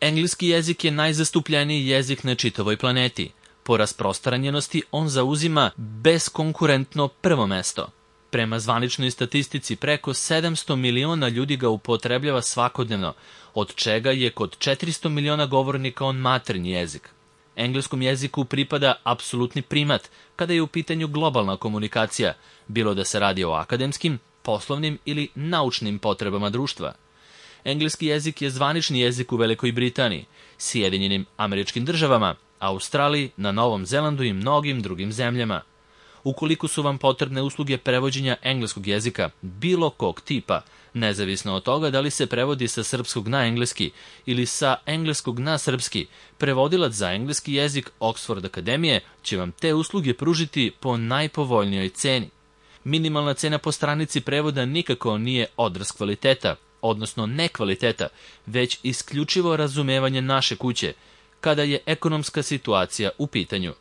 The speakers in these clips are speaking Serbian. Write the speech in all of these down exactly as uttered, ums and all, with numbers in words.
Engleski jezik je najzastupljeniji jezik na čitavoj planeti. Po rasprostranjenosti on zauzima beskonkurentno prvo mesto. Prema zvaničnoj statistici preko sedamsto miliona ljudi ga upotrebljava svakodnevno, od čega je kod četiristo miliona govornika on maternji jezik. Engleskom jeziku pripada apsolutni primat kada je u pitanju globalna komunikacija, bilo da se radi o akademskim, poslovnim ili naučnim potrebama društva. Engleski jezik je zvanični jezik u Velikoj Britaniji, Sjedinjenim Američkim Državama, Australiji, na Novom Zelandu i mnogim drugim zemljama. Ukoliko su vam potrebne usluge prevođenja engleskog jezika bilo kog tipa, nezavisno od toga da li se prevodi sa srpskog na engleski ili sa engleskog na srpski, prevodilac za engleski jezik Oxford Akademije će vam te usluge pružiti po najpovoljnijoj ceni. Minimalna cena po stranici prevoda nikako nije odraz kvaliteta, odnosno nekvaliteta, već isključivo razumevanje naše kuće, kada je ekonomska situacija u pitanju.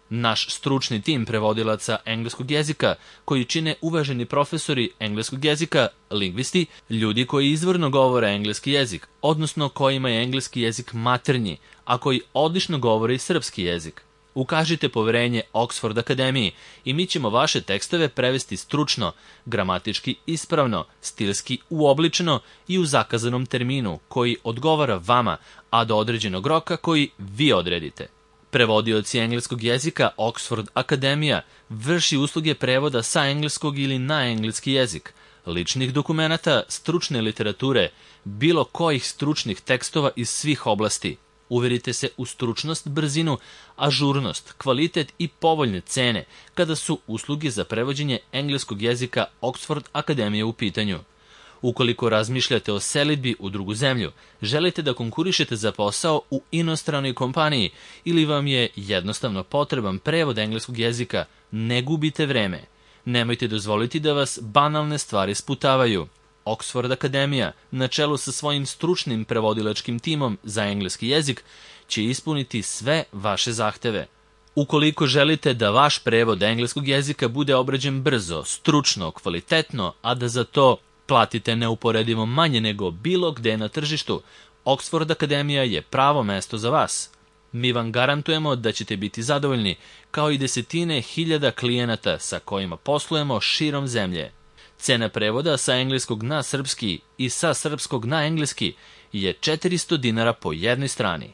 Naš stručni tim prevodilaca engleskog jezika, koji čine uvaženi profesori engleskog jezika, lingvisti, ljudi koji izvorno govore engleski jezik, odnosno kojima je engleski jezik maternji, a koji odlično govore i srpski jezik. Ukažite poverenje Oxford Akademiji i mi ćemo vaše tekstove prevesti stručno, gramatički ispravno, stilski uobličeno i u zakazanom terminu koji odgovara vama, a do određenog roka koji vi odredite. Prevodioci engleskog jezika Oxford Akademija vrši usluge prevoda sa engleskog ili na engleski jezik, ličnih dokumenata, stručne literature, bilo kojih stručnih tekstova iz svih oblasti. Uverite se u stručnost, brzinu, ažurnost, kvalitet i povoljne cene kada su usluge za prevođenje engleskog jezika Oxford Akademije u pitanju. Ukoliko razmišljate o selidbi u drugu zemlju, želite da konkurišete za posao u inostranoj kompaniji ili vam je jednostavno potreban prevod engleskog jezika, ne gubite vreme. Nemojte dozvoliti da vas banalne stvari sputavaju. Oxford Akademija, na čelu sa svojim stručnim prevodilačkim timom za engleski jezik, će ispuniti sve vaše zahteve. Ukoliko želite da vaš prevod engleskog jezika bude obrađen brzo, stručno, kvalitetno, a da za to platite neuporedivo manje nego bilo gde na tržištu, Oxford Akademija je pravo mesto za vas. Mi vam garantujemo da ćete biti zadovoljni, kao i desetine hiljada klijenata sa kojima poslujemo širom zemlje. Cena prevoda sa engleskog na srpski i sa srpskog na engleski je četiristo dinara po jednoj strani.